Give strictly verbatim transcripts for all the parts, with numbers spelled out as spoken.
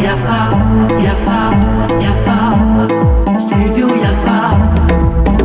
Yafa, Yafa, Yafa, Studio Yafa.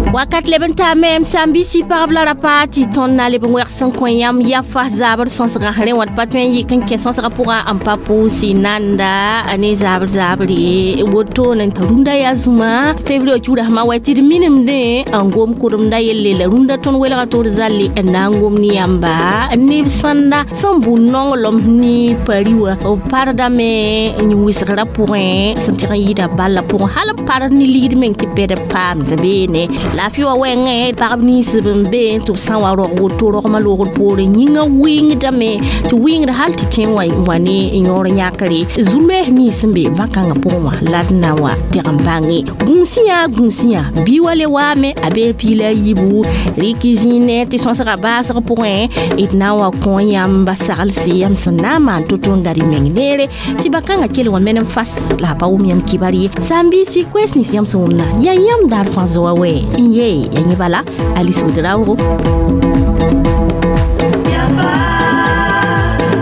Wakat leb n taa mem sãn-biisi pagb la rapa tɩ tõnd na leb n wɛg sẽn kõ yãmb yafa zaabr sõsga rẽ wã d pa tõe n yik n kẽ sõsga pʋgã n pa pʋʋs nanda ne zaabr zaabre wotone rũndã yaa zũma février kiuura sẽma wa tɩ d minemdẽ n gom kʋremda yelle la rũndã tõnd welga tɩ d zalle n na n gom ne yãmba neb sãnda sẽn bʋ nonglem ne pari wã b pardame n wɩsgrã pʋgẽ sẽn tɩg n yɩɩda balla pʋgẽ hal b pard ne ligd meng tɩ bɛd paamd beene laafɩ wa wɛngẽ pagb nins b n be tɩ b sã n wa rog woto rogmã loogr poorẽ yĩngã wɩngdame tɩ wɩngd hal tɩ tẽ wã wa ne yõor yãkre zu-loees nins sẽn be bãn-kãngã pʋgẽ wã la d na wa teg n bãnge gũusẽ yaa gũusẽ yã bɩ wa le waame a bee piila a yiibu rɩk zĩine tɩ sõsga baasg pʋgẽ d na n wa kõ yãmba saglse yãmb sẽn na n maan to-to n gad y meng neere tɩ bã-kãngã kell wã menem fas la a pa wʋm yãmb kibar ye sãn-biisi koɛɛs nins yãmb sẽn wʋmna yaa yãmb daar fãa zoa wɛ n ye ya yẽ bala Alice Ouedraogo. Yafa,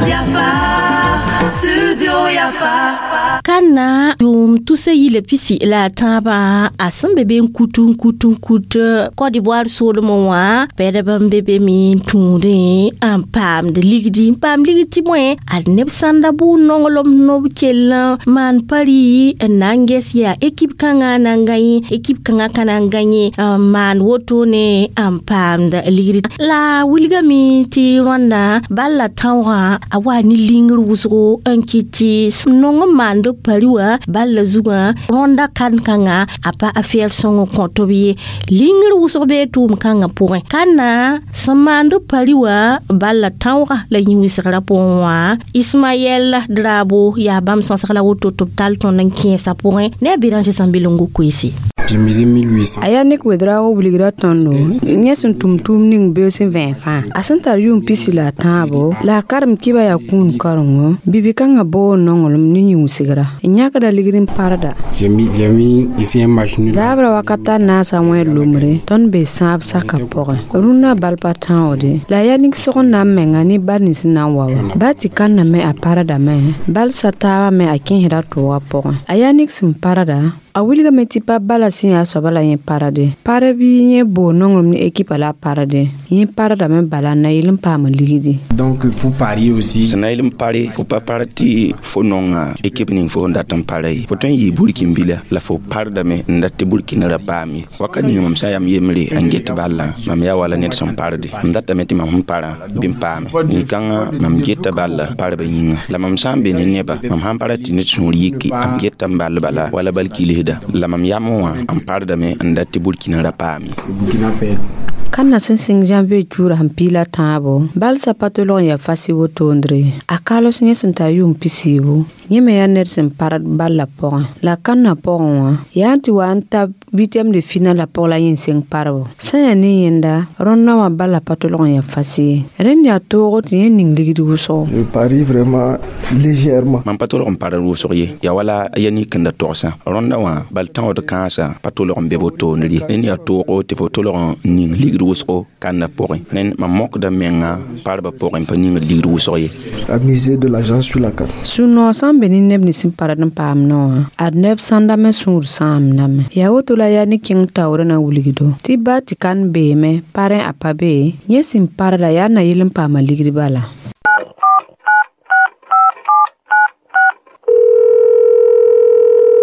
Yafa, Studio Yafa. Kana yʋʋm tusa yila pisi la a tãabã a sẽn be be n kut n kut n kut Côte d'Ivoire soolmẽ wã pɛdb n be be me n tũudẽ n paamd ligdi n paam ligd tɩ bõe ad neb sãnda bʋ nonglem nob kell n maan pari n na n ges yaa ekip kãngã na n gãe ekip kãngã ka na n gãe n maan wotone n paamd ligdi la wilgame tɩ rõanda bal la tãoogã a wa ne lingr wʋsgo n kɩt tɩ nong n maand pari wã bal la zugã rõnda kan-kãngã a pa afɛɛr sõng n kõ tɩ b ye lingr wʋsg bee tʋʋm-kãngã pʋgẽ ka-na sẽn maand pari wã bal la tãoogã la yĩ-wɩsgrã pʋgẽ wã Ismaɛl Drabo yaa bãmb sõsg la woto tɩ b tall tõnd n kẽesã pʋgẽ ne a Béranger Sãmbelongo koeese. J'ai misé mille huit cents. A yaa nek Ouedraogo wilgra tõndo yẽ sẽn tʋm tʋʋm ning beoog sẽn vẽeg fãa a sẽn tar yʋʋm pisi la a tãabo la a karem kɩba yaa kũun karengo bibi-kãngã boog nonglem ne yĩnsgra n yãkda ligd n parda. J'ai mis, j'ai mis ici un match nul. Zaabra wakata naasa wẽ lomre tõnd be sãab saka pʋgẽ rũnnã bal pa tãoode la yaa ning sog n na n menga ne bal nins n na n wa wã ba tɩ kãnname a pardame bal sa taabã me a kẽesda tʋʋgã pʋgẽ a yaa ning sẽn parda a wilgame tɩ pa bala sẽn yaa soaba la yẽ parade par bɩ yẽ boog nonglem ne ekipa la a parade yẽ pardame bala n na yɩl n paam ligdi. Donc pour parier aussi. Sẽn na yɩl n pare fo pa par tɩ fo nonga ekip ning fo n dat n para ye fo tõe n yɩɩ burkin-bila la fo pardame n dat tɩ burkina ra paam ye wakat ninga mam sã n yam yembre n get ballã mam yaa wala ned sẽn parde m datame tɩ mam sẽn parã bɩ n paame yĩn-kãngã mam geta balla parba yĩnga la mam sã n be ne neba mam sãn para tɩ ned sũur yiki m geta n ball bala wala bal kilsda la mam yam wã n pardame n dat tɩ burkina ra paam ye. Burkina perd. Kãnna sẽn sɩng janvier tuura sẽn piila tãabo bal sa pa tolg n yaa fasi wotondre a kalos yẽ sẽn tar yʋʋm pisiibu yẽ me yaa ned sẽn pard balla pʋgẽ la kãnnã pʋgẽ wã yaa n tɩ wa n ta huitième de finale la pʋg la yẽ n sẽng parbo sã n yaa ne yẽnda rõndã wã bala pa tolg n yaa fasi ye rẽnd yaa toogo tɩ yẽ ning ligd wʋsgo. Je parie vraiment légèrement. Mam pa tolg n pard wʋsg ye yaa wala ya nik n da togsã rõndã wã bal tãood kãensã pa tolg n be wotondr ye rẽnd yaa toogo tɩ fo tolg n ning ligd wʋsgo kãnnã pʋgẽ rẽnd mam mokda menga parba pʋgẽ pa ningd ligd wʋsg ye. À miser de l'argent sur la carte. Sũ-noog sã n be ne neb nins n pard n paam wã ad neb sãnda me sũur sãamdame yaa woto la yaa ne kẽng taoorã na wilgdo tɩ ba tɩ kan beeme parẽ a pa be yẽ sẽn parda yaa na yɩl n paama ligd bala.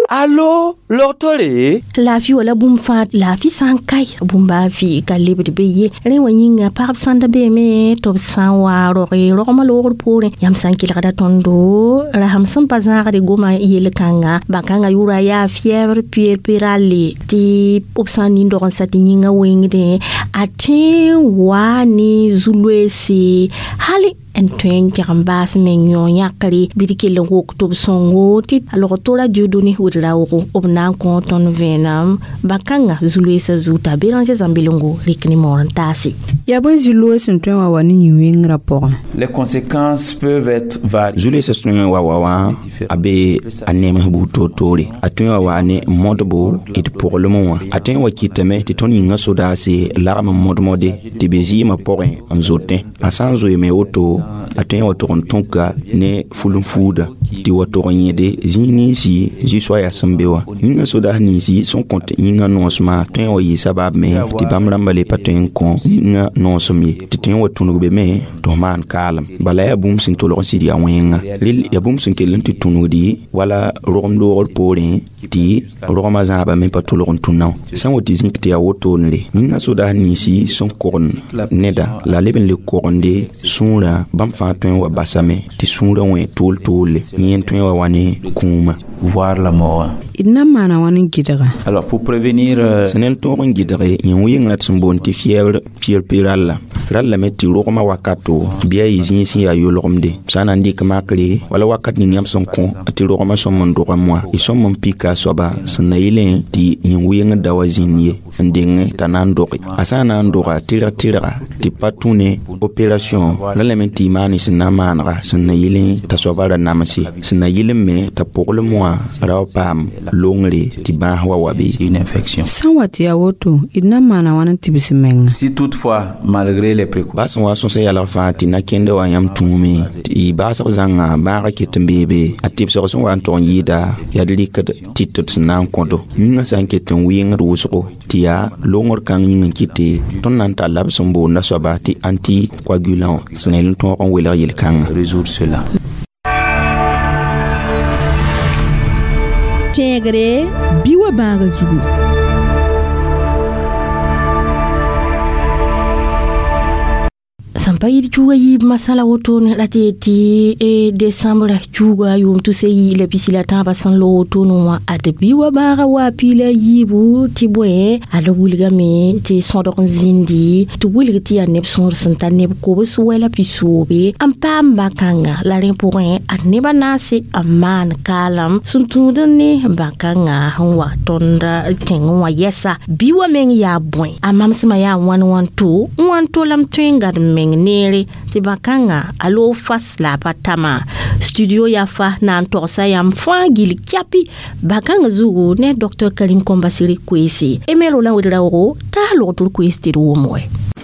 Allo, logtore? Laafɩ wala bũmb fãa laafɩ sã n kae bũmba fɩ ka lebd be ye rẽ wã yĩnga pagb sãnda beeme tɩ b sã n wa roge rogmã loogr poorẽ yãmb sã n kelgda tõndo rasem sẽn pa zãagd goma yel-kãnga bãn-kãngã yʋʋra yaa fièvre puerpérale tɩ b sã n nin-dog n sa tɩ yĩngã wengdẽ a tõe n waa ne zu-loeese hal n tõe n keg n baas meng yõ yãkre bɩ d kell n wok tɩ b sõngo tɩ a log tora Dieudonné Ouedraogo b sẽn na n kõ tõnd vẽenem bãn-kãngã zu-loeesã zugu t'a Béranger Zãmbilongo rɩk ne moor n taase. Yaa bõe zu-loog sẽn tõe n wa wa ne yĩn-wẽngrã pʋgẽ? Les conséquences peuvent être variées. Zu-loeesã tõe n wa wa wã a be a nems buud toor-toore. A tõe n wa wa ne modbo d pʋglem wã. A tõe n wa kɩtame tɩ tõnd yĩngã sodaase lagm n mod-mode tɩ be zɩɩmã pʋgẽ n zotẽ. A sã n zoeeme woto, a tõe n wa tʋg n tõka ne ful-n-fuuda tɩ wa tʋg n yẽde zĩig ninsi zu-soaya sẽn be wã. Yĩngã sodaas ninsi sẽn kõt yĩngã noosmã tõe n wa yɩ sabab me tɩ bãmb rãmbã le pa tõe n kõ yĩngã noosem ye, tɩ tõe n wa tũnug be me tɩ f maan kaalem. Bala yaa bũmb sẽn tolg n sɩd yaa wẽnga. Rel yaa bũmb sẽn kell n tɩ tũnugdi wala rogem loogr poorẽ tɩ rogmã zãabã me pa tolg n tũna wã. Sã n wa tɩ zĩk tɩ yaa wotone yĩngã sodaas ninsi sẽn kogend neda la leb n le kogende sũurã, bãmb fãa tõe n wa basame tɩ sũurã wẽ tool-toolle, yẽ tõe n wa wa ne kũumã. Voir la mort. D na n maana wãn n gɩdga? Alors pour prévenir euh, sẽn n tõog n gɩdge yĩn-wɩngrã tɩ sẽn boond tɩ fièvre puerpérale la rallame tɩ rogmã wakato bɩ a yɩ zĩig sẽn yaa yolgemde. Sã n na n dɩk makre wala wakat ning yãmb sẽn kõ tɩ rogmã sõm n dogame wã, y sõm n pika a soaba sẽn na yɩlẽ tɩ yĩn-wɩngd da wa zĩnd ye n deng t'a na n doge. A sã n na n doga tɩrg tɩrga tɩ pa tũ ne opération, ralame tɩ y maan sẽn na n maanega sẽn na yɩlẽ t'a soaba ra namse, sẽn na yɩl me t'a pʋglem wã ra wa paam longre tɩ bãas wa wa be. une infection. Sã n wa tɩ yaa woto, d na n maana wãn n tibs menga? Si toutefois, malgré les précautions, Bas sẽn wa sõsa yalg fãa tɩ na-kẽndã wa yãmb tũume tɩ y baasg zãnga bãagã ket n beebe, a tɩbsg sẽn wa n tog n yɩɩda yaa d rɩkd tɩt d sẽn na n kõdo. Yĩngã sã n ket n wɩngd wʋsgo tɩ yaa longr kãng yĩng n kɩte tõnd na n talla b sẽn boonda soaba tɩ anticoagulant wã sẽn na yel n tõog n welg yel-kãngã. Résoudre cela. Tẽegre bɩ wa bãaga zugu. Sẽn pa yɩd cuuga yiib masã la wotone la tɩ yetɩ e decembre cuuga yʋʋm tʋse yi la pisi la tãabã sẽn lo wotone wã, ad bɩ wa bãaga wa piila yiibu tɩ bõe ad wilgame tɩ sõdg n zĩndi tɩ wilg tɩ yaa neb sõor sẽn tar neb kobs wɛla pisoobe n paam bã-kãnga. La rẽ pʋgẽ ad nebã naase n maan kaalem sẽn tũud ne bã-kãngã sẽn wa tõnd tẽngẽ wã yɛsa. Bɩ wa meng yaa bõe a mamsmã yaa wãn wãn to n wãn to la m tõe n gad m meng neere tɩ bã-kãngã a loog fas la a pa tama. Studio yaa fa na n togsa yãmb fãa gill kɛapi bã-kãngã zugu ne docteur Karim Kombasiri koeese Emel la Ouedraogo t'a logtr koees tɩ d wʋm wɛ.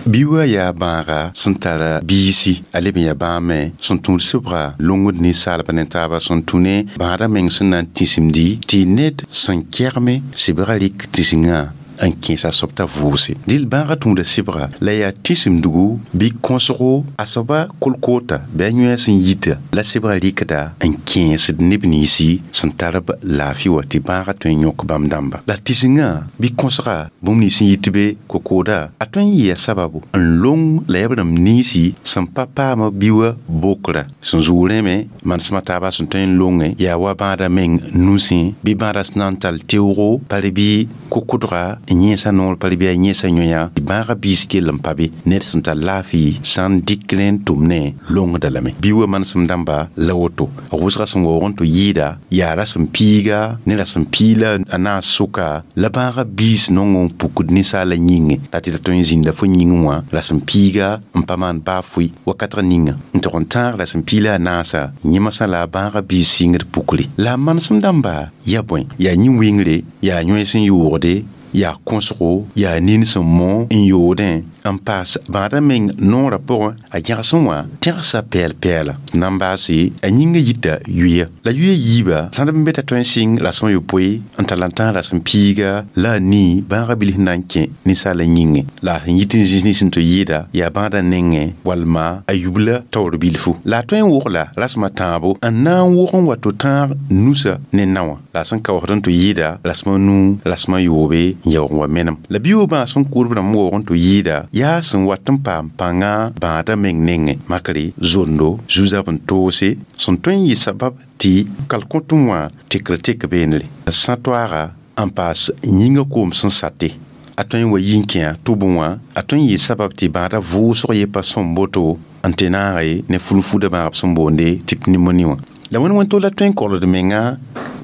Bi wa yaa bãaga sẽn tara biisi, a leb n yaa bãame sẽn tũud sɩbga longd ninsaalba ne taaba sẽn tũ ne bãadã meng sẽn na n tĩsimdi tɩ ned sẽn kɛgme sɩbgã rɩk tĩsingã n kẽes a soab t'a vʋʋse. Dɩl bãagã tũuda sɩbga la yaa tĩsimdgo bɩ kõsgo a soaba kolkoota bɩ a yõe sẽn yita la sɩbgã rɩkda n kẽesd neb ninsi sẽn tar b laafɩ wã tɩ bãagã tõe n yõk bãmb dãmba. La tĩsingã bɩ kõsga bũmb nins sẽn yit be kokooda a tõe n yɩa sababu n long la yaa b rãmb ninsi sẽn pa paam bi wã bokra sẽn zʋʋg rẽme manesmã taaba sẽn tõe n longe yaa wa bãadã meng nusẽ bɩ bãadã sẽn na n tall teoogo par bɩ kokʋdga n yẽesa noor par bɩ a yẽesa yõya bãagã biis kell n pa be ned sẽn tar laafɩ sã n dɩk rẽ n tʋm ne longda lame. Bi wa manesem dãmba la woto a wʋsga sẽn waoog n tɩ yɩɩda yaa rasem piiga ne rasem piila a naas sʋka la bãagã biis nong n pukd ninsaala yĩngẽ la tɩ ta tõe n zĩnda fo yĩngẽ wã rasem piiga n pa maan baa fʋɩ wakatg ninga n tog n tãag rasem piila a naasa yẽmsã la a bãagã biis sɩngd pukre. La a manesem dãmba yaa bõe yaa yĩn-wɩngre yaa yõe sẽn yoogde yaa kõsgo yaa nin sẽn mõ n yoodẽ n paas bãadã meng noorã pʋgẽ a gẽgsẽ wã tẽgsa pɛɛl-pɛɛla na n baase a yĩngã yita yuya. La yuya yiiba sãd n be t'a tõe n sɩng rasem a yopoe n tall n tãag rasem piiga la a nii bãagã bilf na n kẽ ninsaalã yĩngẽ la a sẽn yit n zĩis nins sẽn tɩ yɩɩda yaa bãadã nengẽ walma a yubla taoor bilfu. La a tõe n wogla rasem a tãabo n na n wog n wa tɩ tãag nusa ne naowã la a sẽn kaoosd n tɩ yɩɩda rasem a nuu rasem a yoobe n yaoog n wa menem. La bi-wã sẽn kʋʋd b rãmb waoog n tɩ yɩɩda yaa sẽn wat n paam pãnga bãadã meng nengẽ makre zondo zu-zab n toose sẽn tõe n yɩ sabab tɩ kalkõtẽ wã tekr tek beenre sã toaaga n paas yĩngã koom sẽn sate a tõe n wa yi n kẽa tʋbẽ wã a tõe n yɩ sabab tɩ bãadã vʋʋsg ye pa sõm boto n tɩ naage ne fulfuda bãagb sẽn boonde tɩ pneumoni wã. La wẽnd wẽn tol la tõe n kolgd menga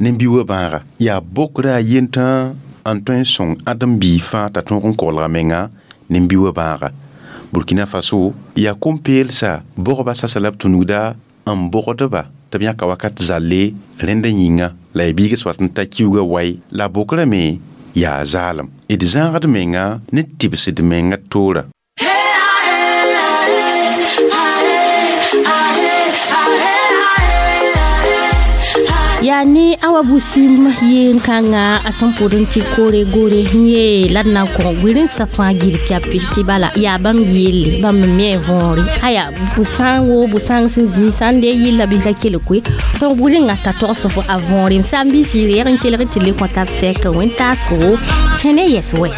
ne bi-wã bãaga. Yaa bokra a yentã n tõe n sõng ãdem-biig fãa t'a tõog n kolga menga ne bi-wã bãaga. Burkina Faso yaa kom-peelsa bogba sasa la b tũnugda n bogdba tɩ b yãka wakat zalle rẽndã yĩnga la y biigs wat n ta kiuugã wai la bokrame me yaa zaalem. D zãagd menga ne tɩbsd menga toora. Yaa ne awa busim yeen kãnga a sẽn pʋd n tɩ koore gore yee la d na n kõ wilensã fãa gil kɛape tɩ bala yaa bãmb yelle bãmb me me võore aya bu-sãng wo bu-sãng sẽn zĩ sã n dee yilla bɩ la kelg koe tõog wilengã t'a togs fo a võore m sã n bɩ sɩ reeg n kelg tɩ le kõ tab sɛk wẽn-taasgo tẽne yɛs wɛ.